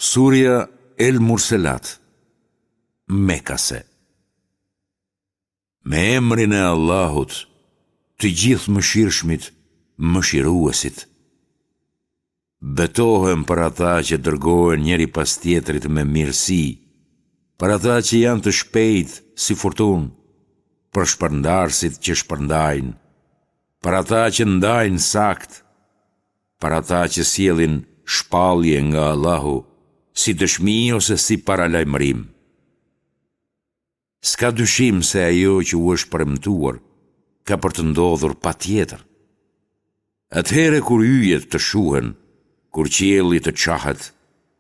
Surja El Murselat, Mekase Me emrin e Allahut, të Gjithëmëshirshmit, Mëshiruesit. Betohem për ata që dërgohen njëri pas tjetrit me mirësi, për ata që janë të shpejtë si furtunë, për shpërndarësit që shpërndajnë, për ata që ndajnë saktë, për ata që sjellin shpallje nga Allahu, si dëshmi ose si paralajmërim. S'ka dyshim se ajo që u është premtuar ka për të ndodhur patjetër. Atëherë kur yjet të shuhen, kur qielli të çahet,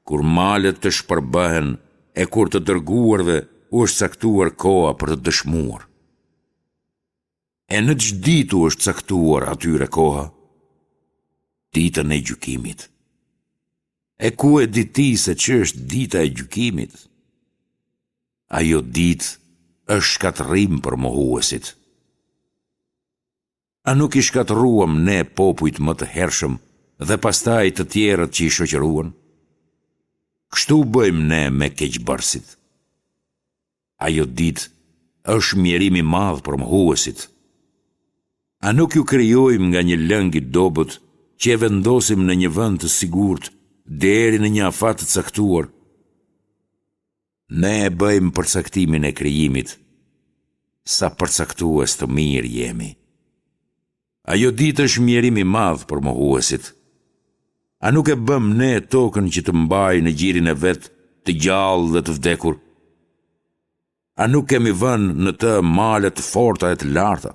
kur malet të shpërbëhen e kur të dërguarve u është caktuar koha për të dëshmuar. E në ç'ditë u është caktuar atyre koha? Ditën e gjykimit. E ku e di ti se ç'është dita e gjykimit? Ajo ditë është shkatërrim për mohuesit. A nuk i shkatërruam ne popujt më të hershëm dhe pastaj të tjerët që i shoqëruan? Kështu bëjmë ne me keqbërësit. Ajo ditë është mjerim i madh për mohuesit. A nuk ju krijojmë nga një lëng i dobët që e vendosim në një vend të sigurt deri në një afat të caktuar? Ne e bëjmë përcaktimin e krijimit, sa përcaktues të mirë jemi. Ajo ditë është mjerim i madh për mohuesit. A nuk e bëmë ne tokën që të mbajë në gjirin e vet të gjallë dhe të vdekur? A nuk kemi vënë në të male të forta e të larta?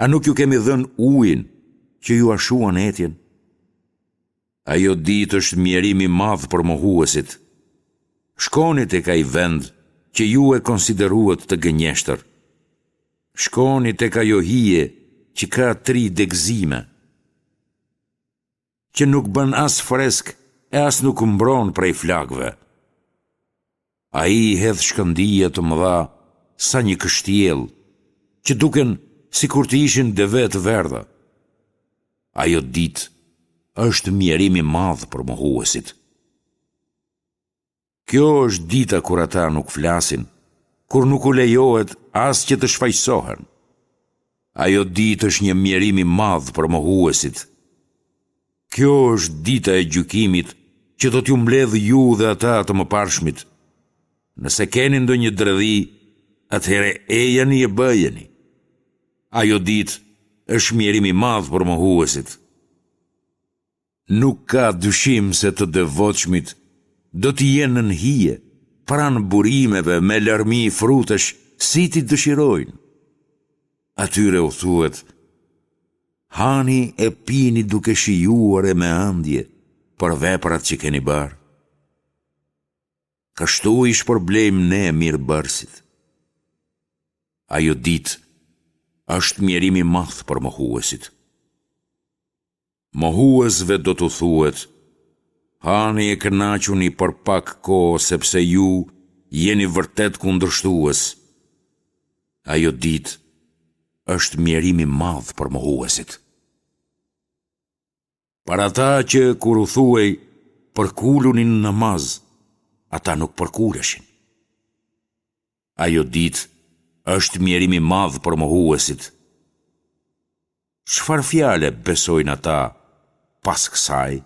A nuk ju kemi dhënë ujin që jua shuan etjen? Ajo ditë është mjerim i madh për mohuesit. Shkoni tek ai vend që ju e konsideruat të gënjeshtër. Shkoni tek ajo hije që ka tri degëzime, që nuk bën as fresk e as nuk mbron prej flakëve. Ai hedh shkëndija të mëdha sa një kështjellë, që duken sikur të ishin deve të verdha. Ajo ditë është mjerim i madh për mohuesit. Kjo është dita kur ata nuk flasin, kur nuk u lejohet as që të shfajësohen. Ajo ditë është një mjerim i madh për mohuesit. Kjo është dita e gjykimit që do t'ju mbledhë ju dhe ata të mëparshmit. Nëse keni ndonjë dredhi, atëherë ejani e bëjeni. Ajo ditë është mjerim i madh për mohuesit. Nuk ka dyshim se të devotshmit do të jenë nën hije, pranë burimeve me larmi frutesh si t'i dëshirojnë. Atyre u thuhet, Hani e pini duke shijuar e me ëndje për veprat që keni bërë. Kështu i shpërblejmë ne mirëbërësit. Ajo ditë është mjerim i madh për mohuesit. Mohuesve do t'u thuhet, Hani e kënaquni për pak kohë sepse ju jeni vërtet kundërshtues. Ajo ditë është mjerim i madh për mohuesit. Për ata që kur u thuhej përkuluni në namaz, ata nuk përkuleshin. Ajo ditë është mjerim i madh për mohuesit. Çfarë fjale besojnë ata pas kësaj?